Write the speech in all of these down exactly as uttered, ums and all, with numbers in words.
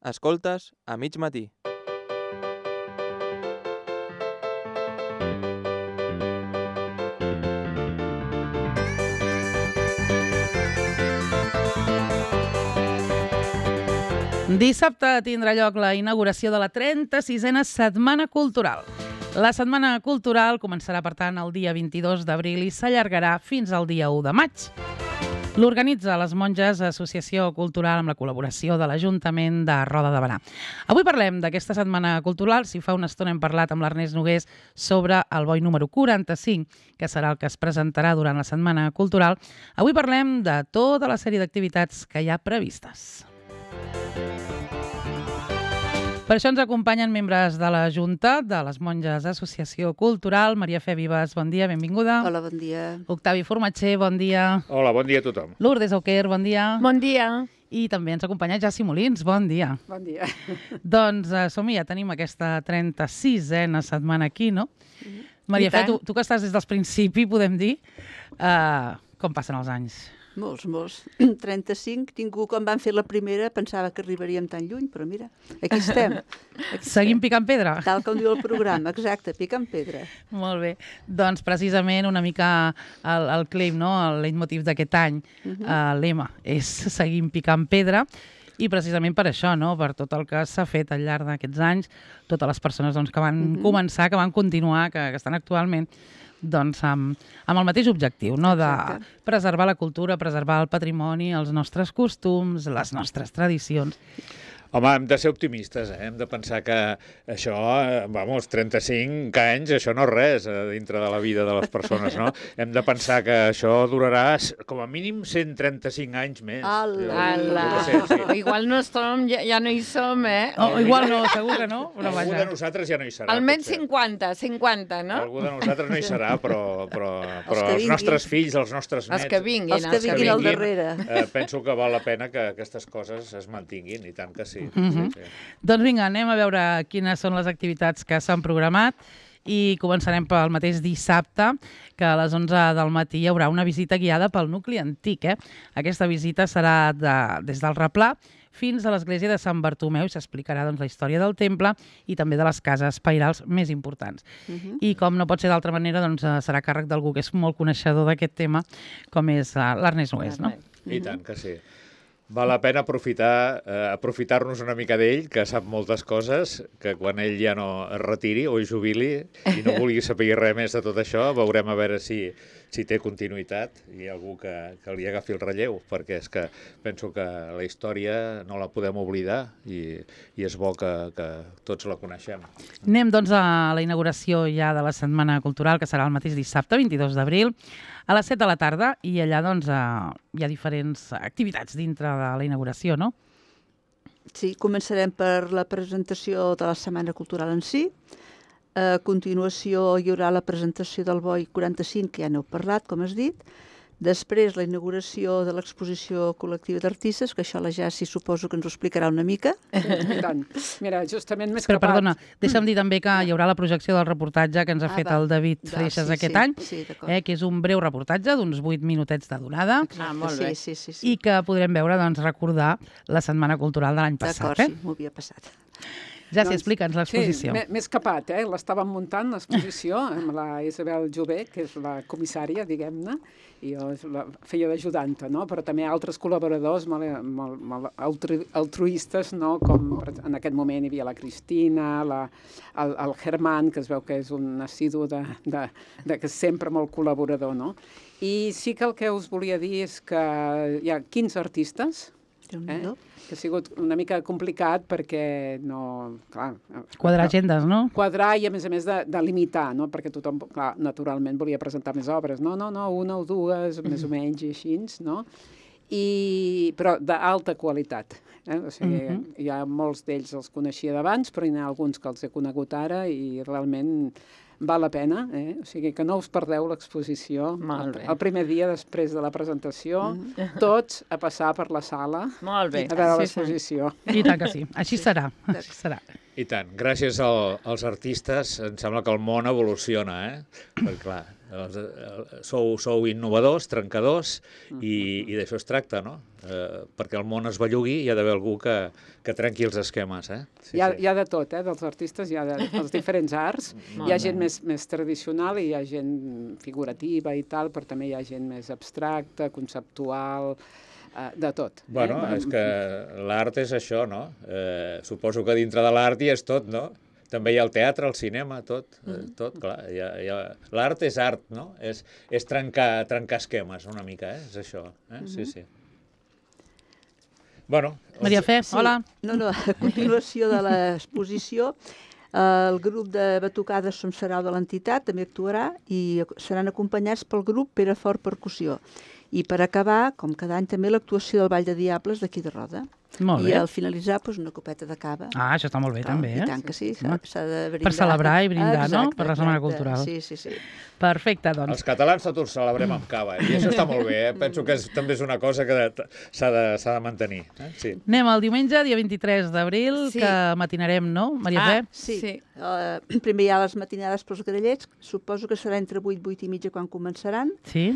Escoltes a mig matí. Dissabte tindrà lloc la inauguració de la trenta-sisena Setmana Cultural. La Setmana Cultural començarà, per tant, el dia vint-i-dos d'abril i s'allargarà fins al dia u de maig. L'organitza les Monges Associació Cultural amb la col·laboració de l'Ajuntament de Roda de Berà. Avui parlem d'aquesta Setmana Cultural. Si fa una estona hem parlat amb l'Ernest Nogués sobre el boi número quaranta-cinc, que serà el que es presentarà durant la Setmana Cultural. Avui parlem de tota la sèrie d'activitats que hi ha previstes. Per això ens acompanyen membres de la Junta de les Monges Associació Cultural. Maria Fe Vives, bon dia, benvinguda. Hola, bon dia. Octavi Formatger, bon dia. Hola, bon dia a tothom. Lourdes Auquer, bon dia. Bon dia. I també ens acompanya Jaci Molins, bon dia. Bon dia. Doncs uh, som-hi, ja tenim aquesta trenta-sisena setmana aquí, no? Mm-hmm. Maria Fe, tu, tu que estàs des del principi, podem dir, uh, com passen els anys? Molts, molts. trenta-cinc, ningú, quan van fer la primera, pensava que arribaríem tan lluny, però mira, aquí estem. Aquí Seguim estem. picant pedra? Tal com diu el programa, exacte, picant pedra. Molt bé. Doncs precisament una mica el, el claim, no? El leitmotiv d'aquest any, uh-huh. uh, lema, és seguim picant pedra. I precisament per això, no? Per tot el que s'ha fet al llarg d'aquests anys, totes les persones doncs, que van uh-huh. començar, que van continuar, que, que estan actualment, doncs amb, amb el mateix objectiu, no? De preservar la cultura, preservar el patrimoni, els nostres costums, les nostres tradicions. Home, hem de ser optimistes, eh? Hem de pensar que això, vamos, trenta-cinc anys, això no és res dintre de la vida de les persones, no? Hem de pensar que això durarà com a mínim cent trenta-cinc anys més. Ala! Ala! Igual no som, ja, ja no hi som, eh? Oh, igual no, segur que no. Però Algú vaja. de nosaltres ja no hi serà. Almenys potser. cinquanta, cinquanta, no? Algú de nosaltres no hi serà, però, però, però Els que els nostres fills, els nostres nets... Els que vinguin. Els que vinguin al darrere. Eh, penso que val la pena que aquestes coses es mantinguin, i tant que sí. Mm-hmm. sí, sí. Doncs vinga, anem a veure quines són les activitats que s'han programat i començarem pel mateix dissabte, que a les onze del matí hi haurà una visita guiada pel nucli antic. Eh? Aquesta visita serà de, des del Replà fins a l'església de Sant Bartomeu i s'explicarà doncs, la història del temple i també de les cases pairals més importants. Uh-huh. I com no pot ser d'altra manera, doncs, serà càrrec d'algú que és molt coneixedor d'aquest tema, com és l'Ernest Nogués. No? I tant que sí. Val la pena aprofitar, eh, aprofitar-nos una mica d'ell, que sap moltes coses, que quan ell ja no es retiri o es jubili i no vulgui saber res més de tot això, veurem a veure si, si té continuïtat i hi ha algú que, que li agafi el relleu, perquè és que penso que la història no la podem oblidar i, i és bo que, que tots la coneixem. Anem doncs a la inauguració ja de la Setmana Cultural, que serà el mateix dissabte, vint-i-dos d'abril, a les set de la tarda, i allà doncs, hi ha diferents activitats dintre de la inauguració, no? Sí, començarem per la presentació de la Setmana Cultural en si. A continuació hi haurà la presentació del boi quaranta-cinc, que ja n'heu parlat, com has dit. Després, la inauguració de l'exposició col·lectiva d'artistes, que això la Jaci suposo que ens ho explicarà una mica. I tant. Mira, justament més Però, capat... perdona, deixa'm dir també que hi haurà la projecció del reportatge que ens ha Ah, fet va. el David Va, Freixas sí, aquest sí, any, sí, d'acord. eh, que és un breu reportatge d'uns vuit minutets de durada, Ah, molt bé. Sí, sí, sí, sí. i que podrem veure, doncs, recordar la Setmana Cultural de l'any passat. D'acord, Eh? sí, m'ho havia passat. Ja s'hi Doncs, explica'ns l'exposició. Sí, més capat, eh? L'estàvem muntant, l'exposició, amb la Isabel Jové, que és la comissària, diguem-ne, i jo la feia d'ajudanta, no? Però també altres col·laboradors molt, molt, molt altru altruistes, no? Com en aquest moment hi havia la Cristina, la, el, el Germán, que es veu que és un assidu de, de, de que és sempre molt col·laborador, no? I sí que el que us volia dir és que hi ha quinze artistes, eh? Que ha sigut una mica complicat perquè no... Clar, Quadrar agendes, no? Quadrar i, a més a més, de, de limitar, no? Perquè tothom, clar, naturalment volia presentar més obres. No, no, no, una o dues, més o menys, i així, no? I, però d'alta qualitat. Eh? O sigui, uh-huh. Hi ha molts d'ells els coneixia d'abans, però hi ha alguns que els he conegut ara i realment val la pena, eh? O sigui, que no us perdeu l'exposició. Molt bé. El primer dia després de la presentació, mm. tots a passar per la sala Molt bé. a veure Sí, l'exposició. I tant que sí. Així serà. Així serà. I tant, gràcies al, als artistes em sembla que el món evoluciona, eh? Perquè clar, els, eh, sou, sou innovadors, trencadors, i, i d'això es tracta, no? Eh, perquè el món es bellugui hi ha d'haver algú que, que trenqui els esquemes, eh? Sí, Hi ha, sí. hi ha de tot, eh? Dels artistes, hi ha de, dels diferents arts. Hi ha gent més, més tradicional i hi ha gent figurativa i tal, però també hi ha gent més abstracta, conceptual, eh, de tot. Bueno, eh? és que l'art és això, no? Eh, suposo que dintre de l'art hi és tot, no? També hi ha el teatre, el cinema, tot, eh, tot, clar. Hi ha, hi ha... L'art és art, no? És, és trencar, trencar esquemes, una mica, eh? És això, eh? Sí, sí. Bueno... Maria Fe, Sí. hola. No, no, a continuació de l'exposició, el grup de batucades Som Sarau de l'entitat també actuarà i seran acompanyats pel grup Perafort Percussió. I per acabar, com cada any, també l'actuació del Ball de Diables d'aquí de Roda. Molt I bé. al finalitzar, doncs, una copeta de cava. Ah, això està molt bé, Clar, també, I eh? tant que sí, s'ha Home. s'ha de brindar. Per celebrar i brindar, no? Exacte, Per la Setmana exacte. Cultural. Sí, sí, sí. Perfecte, doncs. Els catalans tots ho celebrem amb cava, i això està molt bé, eh? Penso que és, també és una cosa que de- s'ha de, s'ha de mantenir. Eh? Sí. Anem al diumenge, dia vint-i-tres d'abril, Sí. que matinarem, no, Maria Ah, Fe? Sí, Sí. Uh, primer hi ha les matinades pels grallets, suposo que serà entre vuit, vuit i mitja quan començaran, Sí?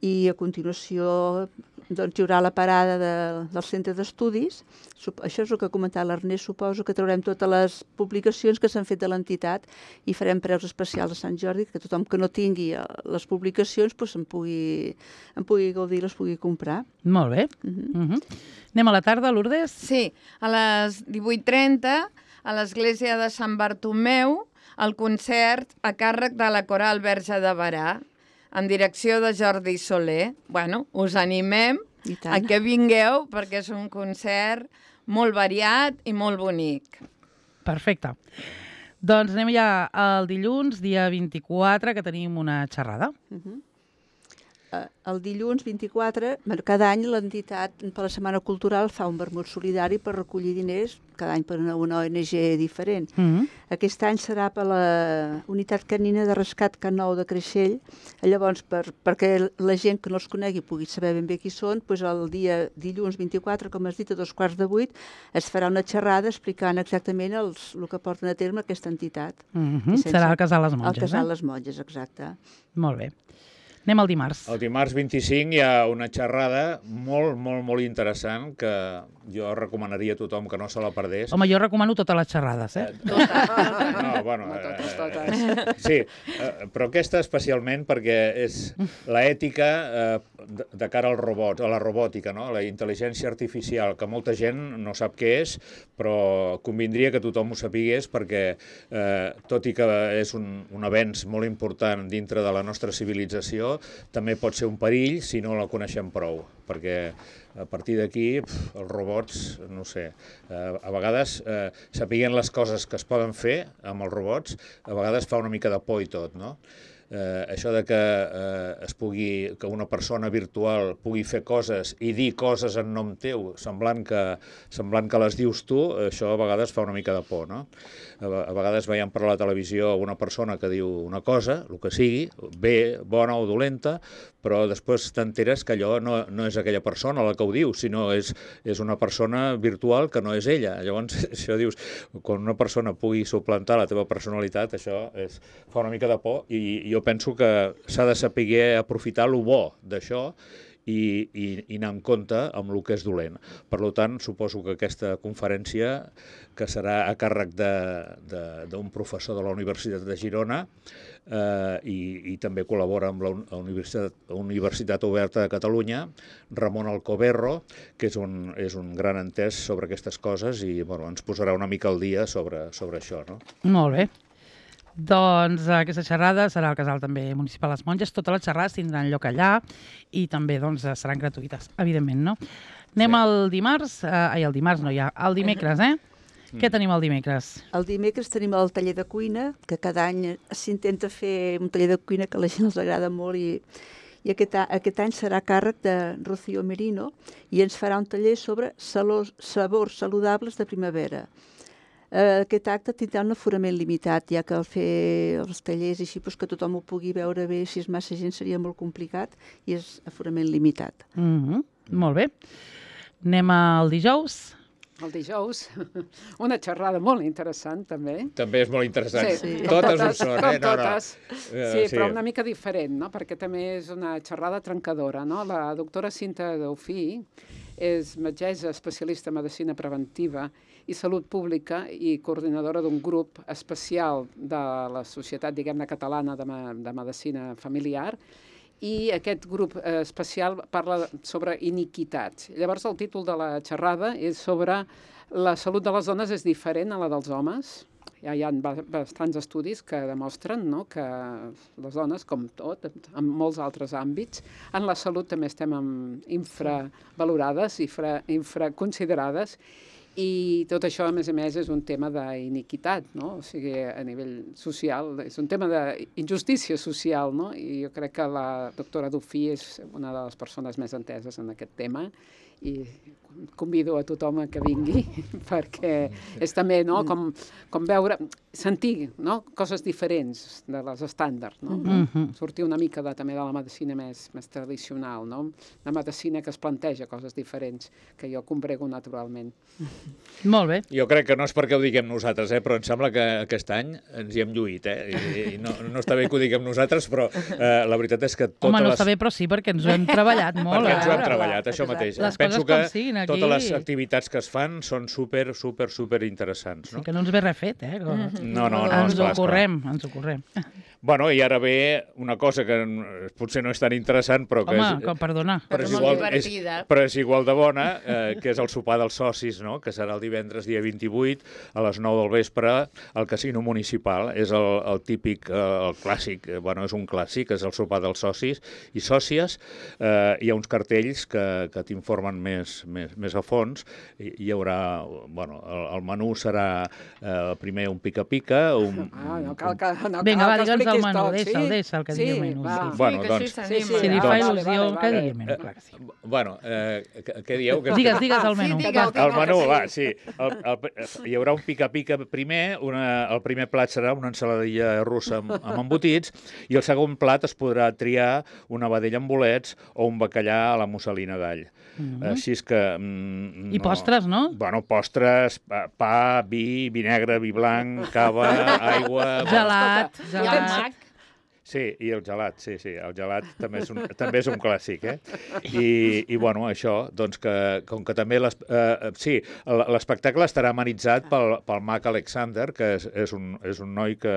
i a continuació doncs, hi haurà la parada de, del centre d'estudis. Sup Això és el que ha comentat l'Ernest, suposo que traurem totes les publicacions que s'han fet de l'entitat i farem preus especials a Sant Jordi, que tothom que no tingui eh, les publicacions doncs, en, pugui, en pugui gaudir, les pugui comprar. Molt bé. Uh -huh. Uh -huh. Anem a la tarda, Lourdes? Sí, a les divuit trenta, a l'església de Sant Bartomeu, el concert a càrrec de la Coral Verge de Berà, en direcció de Jordi Soler. Bueno, us animem I a tant. que vingueu, perquè és un concert molt variat i molt bonic. Perfecte. Doncs anem ja al dilluns, dia vint-i-quatre, que tenim una xerrada. Uh -huh. Uh, el dilluns vint-i-quatre, bueno, cada any l'entitat per la Setmana Cultural fa un vermut solidari per recollir diners, cada any per una, una O N G diferent. Uh -huh. Aquest any serà per la Unitat Canina de Rescat Can Nou de Creixell. Llavors, per, perquè la gent que no els conegui pugui saber ben bé qui són, doncs el dia dilluns vint-i-quatre, com has dit, a dos quarts de vuit, es farà una xerrada explicant exactament els, el que porten a terme aquesta entitat. Uh -huh. I sense- Serà al Casal Les Monges, Al Casal eh? Les Monges, exacte. Molt bé. Anem al dimarts. El dimarts vint-i-cinc hi ha una xerrada molt, molt, molt interessant que jo recomanaria a tothom que no se la perdés. Home, jo recomano totes les xerrades, eh? No, bueno, No, totes, eh, totes. Sí, eh, però aquesta especialment perquè és l'ètica eh, de, de cara al robot, a la robòtica, no? La intel·ligència artificial, que molta gent no sap què és, però convindria que tothom ho sapigués perquè, eh, tot i que és un, un avenç molt important dintre de la nostra civilització, també pot ser un perill si no la coneixem prou, perquè a partir d'aquí pf, els robots, no sé, eh, a vegades eh, sapiguent les coses que es poden fer amb els robots, a vegades fa una mica de por i tot, no? Eh, això de que eh, es pugui, que una persona virtual pugui fer coses i dir coses en nom teu, semblant que, semblant que les dius tu, això a vegades fa una mica de por, no? A, a vegades veiem per la televisió una persona que diu una cosa, el que sigui, bé, bona o dolenta, però després t'enteres que allò no, no és aquella persona la que ho diu, sinó és, és una persona virtual que no és ella. Llavors, això dius, quan una persona pugui suplantar la teva personalitat, això és, fa una mica de por, i jo penso que s'ha de saber aprofitar el bo d'això i, i, i anar en compte amb el que és dolent. Per tant, suposo que aquesta conferència, que serà a càrrec d'un professor de la Universitat de Girona, eh, i, i també col·labora amb la Universitat, Universitat Oberta de Catalunya, Ramon Alcoberro, que és un, és un gran entès sobre aquestes coses i bueno, ens posarà una mica al dia sobre, sobre això, no? Molt bé. Doncs aquesta xerrada serà al Casal també Municipal Les Monges. Totes les xerrades tindran lloc allà i també doncs, seran gratuïtes, evidentment, no? Anem Sí. al dimarts, eh, ai, el dimarts no hi ha, el dimecres, eh? Mm. Què tenim el dimecres? El dimecres tenim el taller de cuina, que cada any s'intenta fer un taller de cuina que a la gent els agrada molt i, i aquest, aquest any serà a càrrec de Rocío Merino i ens farà un taller sobre salos, sabors saludables de primavera. Uh, aquest acte tindrà un aforament limitat, ja que al fer els tallers així pues, que tothom ho pugui veure bé, si és massa gent seria molt complicat i és aforament limitat. Mm -hmm. Molt bé. Anem al dijous. el dijous, una xerrada molt interessant, també. També és molt interessant. Sí, Sí. Totes, com ho són, com eh? No, no. totes. Eh, Sí, però una mica diferent, no? Perquè també és una xerrada trencadora, no? La doctora Cinta Daufí és metgessa especialista en medicina preventiva i salut pública i coordinadora d'un grup especial de la Societat, diguem-ne, catalana de, me de medicina familiar, i aquest grup eh, especial parla sobre iniquitats. Llavors, el títol de la xerrada és sobre la salut de les dones és diferent a la dels homes. Ja hi ha bastants estudis que demostren, no?, que les dones, com tot, en molts altres àmbits, en la salut també estem infravalorades, infra, infraconsiderades, i tot això, a més a més, és un tema d'iniquitat, no? O sigui, a nivell social, és un tema d'injustícia social, no? I jo crec que la doctora Dufí és una de les persones més enteses en aquest tema, i convido a tothom a que vingui, perquè és també, no?, com, com veure, sentir, no?, coses diferents de les estàndards, no? Mhm. Sortir una mica de, també de la medicina més, més tradicional, no? La medicina que es planteja coses diferents, que jo comprego naturalment. Molt bé. Jo crec que no és perquè ho diguem nosaltres, eh? Però em sembla que aquest any ens hi hem lluït, eh? I, i no, no està bé que ho diguem nosaltres, però eh, la veritat és que totes Home, no les... està bé, però sí, perquè ens ho hem treballat molt. Perquè ens ho hem eh? treballat, això Exacte. mateix. Les Penso coses que com siguin, aquí. totes les activitats que es fan són super, super, super interessants, Sí, no? que no ens ve res fet, eh? Com... No, no, no, ens ho esclar, esclar. correm, ens ho correm. Bueno, i ara ve una cosa que potser no és tan interessant, però que Home, és... com, perdona. Però és, Molt igual, és, divertida. però és igual de bona, eh, que és el sopar dels socis, no?, que serà el divendres dia vint-i-vuit a les nou del vespre al Casino Municipal. És el, el típic, eh, el clàssic, eh, bueno, és un clàssic, és el sopar dels socis i sòcies. Eh, hi ha uns cartells que, que t'informen més, més, més a fons. Hi, hi haurà, bueno, el, el menú serà eh, primer un pica-pica, un... Ah, no cal que, no Vinga, va, cal que digue'ns el expliquis menú, tot, deixa'l, sí? deixa'l que Sí, digui el menú. va. Sí. Bueno, que doncs... així Sí, s'anima. sí, Si li va, fa vale, il·lusió, vale, que vale. digui el menú, clar que sí. Bueno, eh, què, què dieu? Que Digues, digues el menú. Sí, Va. digues, El menú, sí. va, sí. El, el, hi haurà un pica-pica primer, una, el primer plat serà una ensaladilla russa amb, amb embotits, i el segon plat es podrà triar una vedella amb bolets o un bacallà a la musselina d'all. Mhm. Així és que... Mm, I postres, no? Bueno, postres, pa, pa, vi, vi negre, vi blanc, cava, aigua... Gelat, Escolta, gelat. Sí, i el gelat, sí, sí, el gelat també és un, també és un clàssic, eh? I, i bueno, això, doncs que, com que també, les, eh, sí, l'espectacle estarà amenitzat pel, pel Mac Alexander, que és, és, un, és un noi que,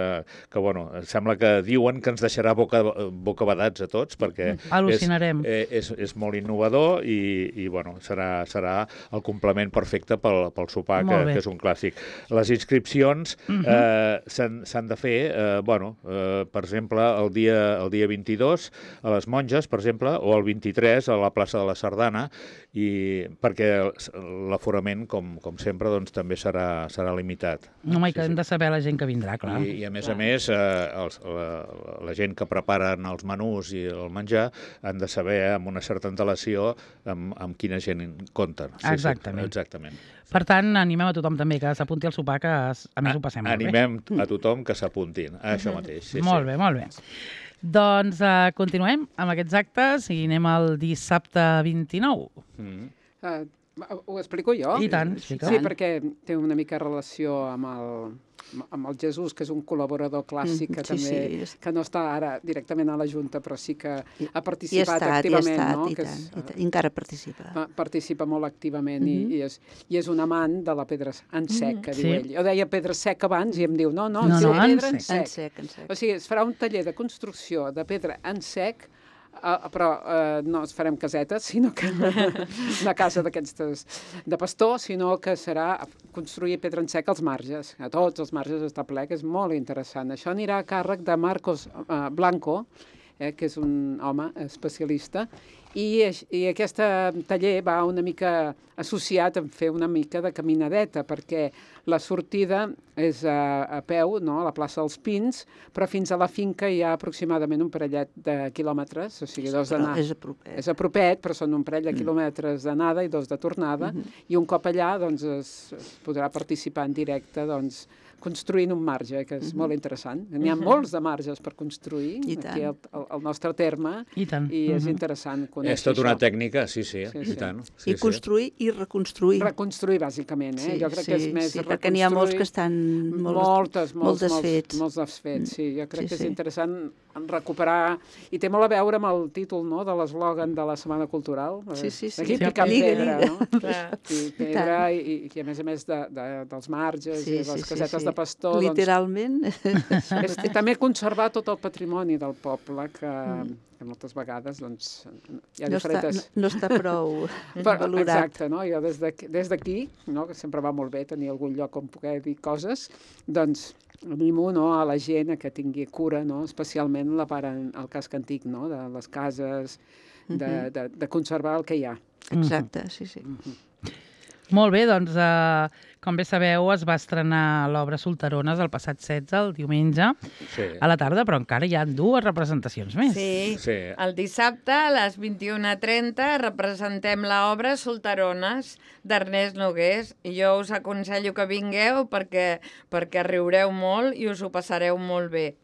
que, bueno, sembla que diuen que ens deixarà boca, bocabadats a tots, perquè Al·lucinarem. és, és, és molt innovador i, i bueno, serà, serà el complement perfecte pel, pel sopar, que, Molt bé. que és un clàssic. Les inscripcions eh, s'han de fer, eh, bueno, eh, per exemple, el dia, el dia vint-i-dos a les Monges, per exemple, o el vint-i-tres a la plaça de la Sardana, i perquè l'aforament, com, com sempre, doncs, també serà, serà limitat. Home, i que hem de saber la gent que vindrà, clar. I, i a més a més, eh, els, la, la gent que preparen els menús i el menjar han de saber amb una certa antelació amb, amb quina gent compten. Sí, Exactament. Sí, exactament. Per tant, animem a tothom també que s'apunti al sopar, que a més ho passem molt bé. Animem a tothom que s'apuntin a això mateix. Sí, Molt sí. bé, molt bé. Doncs uh, continuem amb aquests actes i anem al dissabte vint-i-nou. Mm. Uh, ho explico jo? I tant, explica. Sí, perquè té una mica relació amb el, amb el Jesús, que és un col·laborador clàssic, que Mm, sí, també, sí. que no està ara directament a la Junta, però sí que I- ha I ha participat estat, i ha activament, estat, no? i Que tant, és, i tant, i encara participa. pa- participa molt activament Mhm. i, i, és, i és un amant de la pedra en sec, que Sí. diu ell. Jo deia pedra sec abans i em diu, no, no, No, es diu no, en pedra en sec. En sec. sec, en sec. O sigui, es farà un taller de construcció de pedra en sec, uh, però uh, no es farem casetes, sinó que una casa d'aquestes de pastor, sinó que serà construir pedra en sec als marges. A tots els marges està ple, que és molt interessant. Això anirà a càrrec de Marcos uh, Blanco, eh, que és un home especialista, i, i aquest taller va una mica associat a fer una mica de caminadeta, perquè la sortida és a, a peu, no?, a la plaça dels Pins, però fins a la finca hi ha aproximadament un parellet de quilòmetres, o sigui, dos Però d'anar. és a propet. És a propet, però són un parell de quilòmetres d'anada i dos de tornada, i un cop allà doncs, es, es podrà participar en directe, doncs, construint un marge, que és molt interessant. N'hi ha molts de marges per construir I tant. aquí al, al, al nostre terme, I tant. i és Mhm. interessant conèixer conèixer És tota una això. tècnica, sí, sí, Sí, i sí. tant. I Sí, sí. construir i reconstruir. Reconstruir, bàsicament, eh? Sí, jo crec sí, que és més sí, perquè n'hi ha molts que estan molt, moltes, molt molts, desfets. Molts, molts desfets, sí. Jo crec Sí, que és sí. interessant recuperar... I té molt a veure amb el títol, no?, de l'eslògan de la Setmana Cultural. Sí, sí, sí. Aquí Sí, picant lliga, pedra, lliga. no? Clar. I pedra, i, i a més a més de, de, dels marges Sí, i sí, les sí, casetes sí. de pastor. Literalment. Doncs, és, i també conservar tot el patrimoni del poble, que, que moltes vegades doncs, hi ha No està, diferents... no, no està prou Però, valorat. exacte, no? Jo des d'aquí, des d'aquí, no? Que sempre va molt bé tenir algun lloc on poder dir coses, doncs animo, no, a la gent a que tingui cura, no? Especialment la part en el casc antic, no? De les cases, de, de, de conservar el que hi ha. Exacte, sí, sí. Molt bé, doncs, eh, com bé sabeu, es va estrenar l'obra Solterones el passat setze, el diumenge, Sí. a la tarda, però encara hi ha dues representacions més. Sí. Sí. El dissabte a les vint-i-una trenta representem l'obra Solterones d'Ernest Nogués i jo us aconsello que vingueu perquè, perquè riureu molt i us ho passareu molt bé.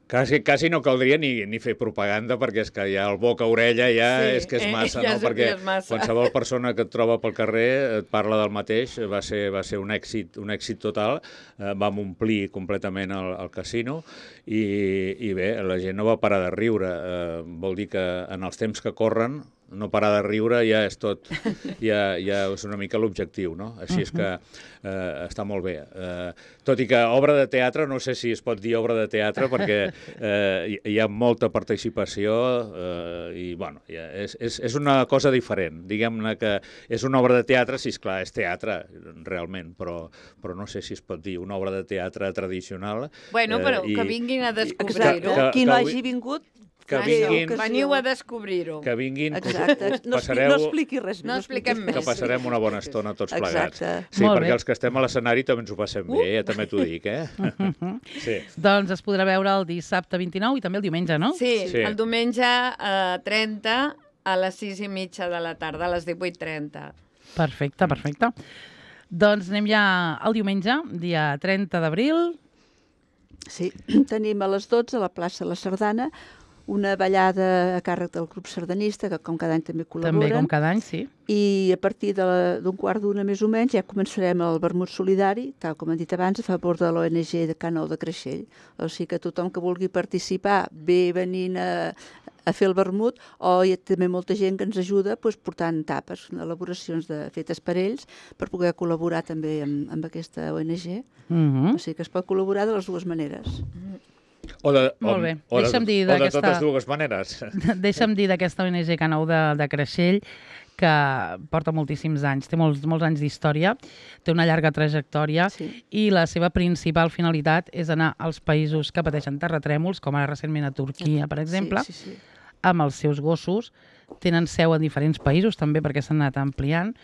Quasi, quasi no caldria ni, ni fer propaganda perquè és que ja el boca-orella ja Sí, és que és eh, massa, ja no? és- Perquè ja és massa. qualsevol persona que et troba pel carrer et parla del mateix, va ser, va ser un èxit, un èxit total, eh, vam omplir completament el, el casino i, i bé, la gent no va parar de riure, eh, vol dir que en els temps que corren no parar de riure ja és tot, ja, ja és una mica l'objectiu, no? Així és que eh, està molt bé. Eh, tot i que obra de teatre, no sé si es pot dir obra de teatre perquè eh, hi, hi ha molta participació eh, i, bueno, ja és, és, és una cosa diferent. Diguem-ne que és una obra de teatre, sí, esclar, és teatre, realment, però, però no sé si es pot dir una obra de teatre tradicional. Bueno, però eh, i- que vinguin a Exacte. descobrir-ho. que- Qui no que hagi avui- vingut, que faci vinguin- ocasió. Veniu a descobrir-ho. que vinguin, que us- Exacte. us No, expli passareu... no expliqui res. No expliquem que més. passarem una bona estona tots plegats. Exacte. Sí, Molt perquè bé. els que estem a l'escenari també ens ho passem bé, ja també t'ho dic, eh? Sí. Doncs es podrà veure el dissabte vint-i-nou i també el diumenge, no? Sí, Sí. el diumenge eh, trenta a les sis i mitja de la tarda, a les divuit trenta. Perfecte, perfecte. Doncs anem ja al diumenge, dia trenta d'abril. Sí, tenim a les dotze a la plaça La Sardana una ballada a càrrec del grup sardanista, que com cada any també També, col·laboren. com cada any, sí. I a partir de la- d'un quart d'una més o menys ja començarem el vermut solidari, tal com hem dit abans, a favor de l'O N G de Can Nou de Creixell. O sigui que tothom que vulgui participar ve venint a, a fer el vermut, o hi ha també molta gent que ens ajuda doncs, portant tapes, elaboracions de, fetes per ells, per poder col·laborar també amb, amb aquesta O N G. Mhm. O sigui que es pot col·laborar de les dues maneres. O de, Molt bé. O de, Deixa'm dir o de d'aquesta- totes dues maneres. Deixa'm dir d'aquesta O N G Can Nou de, de Creixell, que porta moltíssims anys, té molts, molts anys d'història, té una llarga trajectòria Sí. i la seva principal finalitat és anar als països que pateixen terratrèmols, com ara recentment a Turquia, per exemple, Sí, sí, sí. amb els seus gossos. Tenen seu a diferents països també perquè s'han anat ampliant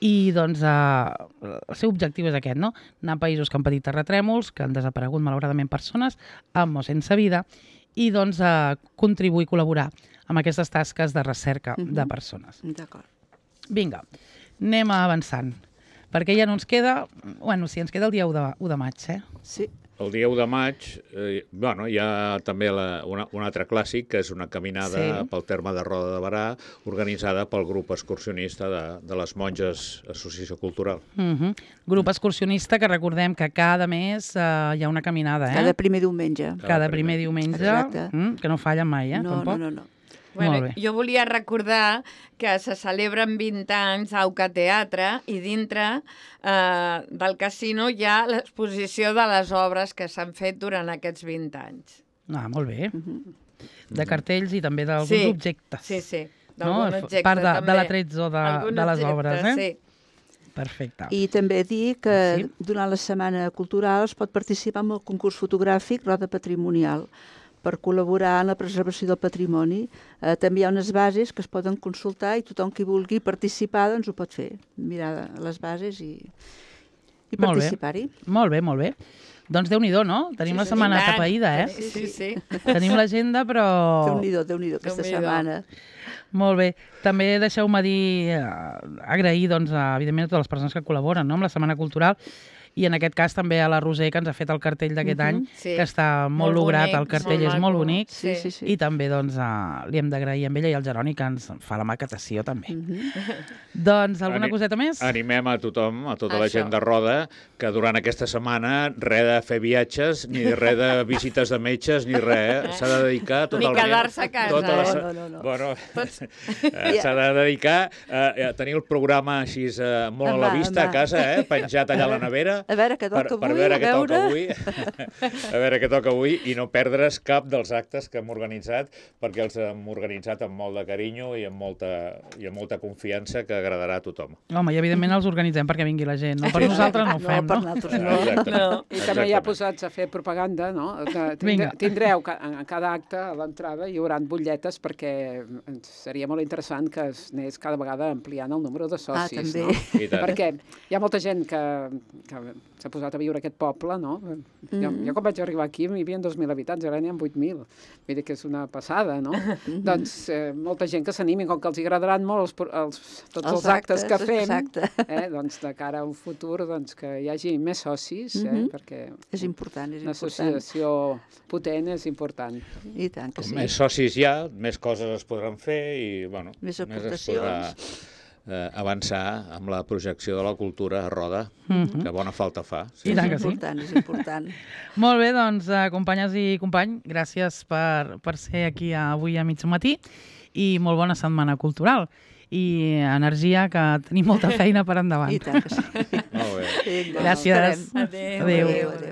i doncs eh, el seu objectiu és aquest, no? Anar a països que han patit terratrèmols, que han desaparegut malauradament persones amb o sense vida i doncs eh, contribuir i col·laborar amb aquestes tasques de recerca Mhm. de persones. D'acord. Vinga, anem avançant, perquè ja no ens queda... Bueno, sí, ens queda el dia u de, u de maig, eh? Sí. El dia u de maig, eh, bueno, hi ha també la, una, un altre clàssic, que és una caminada Sí. pel terme de Roda de Barà, organitzada pel grup excursionista de, de les Monges Associació Cultural. Uh -huh. Grup excursionista que recordem que cada mes uh, hi ha una caminada, eh? Cada primer diumenge. Cada Cada primer primer. diumenge, Exacte. mm, que no fallen mai, eh? No, no, Tampoc. no, no. Bueno, Molt bé. jo volia recordar que se celebren vint anys a Auca Teatre i dintre eh, del casino hi ha l'exposició de les obres que s'han fet durant aquests vint anys. Ah, molt bé. Mhm. De cartells i també d'alguns Sí, objectes. Sí, sí, No? d'algun objecte Part de, de també. l'atrezzo de, Algun de les objecte, obres, eh? Sí. Perfecte. I també dir que Sí. durant la Setmana Cultural es pot participar en el concurs fotogràfic Roda Patrimonial per col·laborar en la preservació del patrimoni. Eh, també hi ha unes bases que es poden consultar i tothom qui vulgui participar doncs ho pot fer. Mirar les bases i, i Molt bé. participar-hi. Molt bé, molt bé. Doncs Déu-n'hi-do, no? Tenim Sí, la sí, setmana I tant. atapeïda, eh? Sí, sí, sí. Tenim l'agenda, però... Déu-n'hi-do, Déu-n'hi-do, aquesta Déu-n'hi-do. setmana. Molt bé. També deixeu-me dir, eh, agrair, doncs, a, evidentment, a totes les persones que col·laboren, no?, amb la Setmana Cultural i en aquest cas també a la Roser, que ens ha fet el cartell d'aquest Mhm. any, Sí. que està molt, Molt lograt, bonic, el cartell molt és molt maco. bonic, Sí, sí, sí. i també doncs, uh, li hem d'agrair a ella i al Jeroni que ens fa la maquetació també. Mhm. Doncs alguna Ani- coseta més? Animem a tothom, a tota la Això. gent de Roda, que durant aquesta setmana res de fer viatges, ni res de visites de metges, ni res. Eh? S'ha de dedicar Ni totalment... quedar-se a casa, tota la eh? se- No, no, no. Bueno, Tots- eh, s'ha de dedicar eh, a tenir el programa així eh, molt a la Home, vista a home. casa, eh? penjat allà a la nevera, A veure què per, toca per avui, veure a què toca veure. avui, a veure què toca avui i no perdre's cap dels actes que hem organitzat, perquè els hem organitzat amb molt de carinyo i amb molta, i amb molta confiança que agradarà a tothom. Home, i evidentment els organitzem perquè vingui la gent, no? Per nosaltres no ho fem, per no? nosaltres no. Exactament. No. I també ja Exactament. posats a fer propaganda, no? De- Vinga. tindre- Tindreu ca- en cada acte a l'entrada hi haurà butlletes perquè ens seria molt interessant que es anés cada vegada ampliant el número de Ah, socis, també. no? I tant. Perquè hi ha molta gent que, que s'ha posat a viure a aquest poble, no? Jo, Mhm. jo quan vaig arribar aquí hi havia dos mil habitants, ara n'hi ha vuit mil. Vull dir que és una passada, no? Doncs eh, molta gent que s'animi, com que els agradaran molt els, pro- els, tots els, Els actes, que actes, fem, exacte. eh, doncs de cara a un futur doncs, que hi hagi més socis, eh, Mhm. perquè És important, és una important. associació potent és important. I tant que Com sí. més socis hi ha, més coses es podran fer i, bueno, Més es podrà aportacions. eh, avançar amb la projecció de la cultura a Roda, Mhm. que bona falta fa. I tant que és sí. important, és important. Molt bé, doncs, eh, companyes i company, gràcies per, per ser aquí avui a mig matí i molt bona setmana cultural. I energia, que tenim molta feina per endavant. I tant que sí. Molt bé. Vinga, Gràcies. esperem. Adéu. Adéu. Adéu, adéu.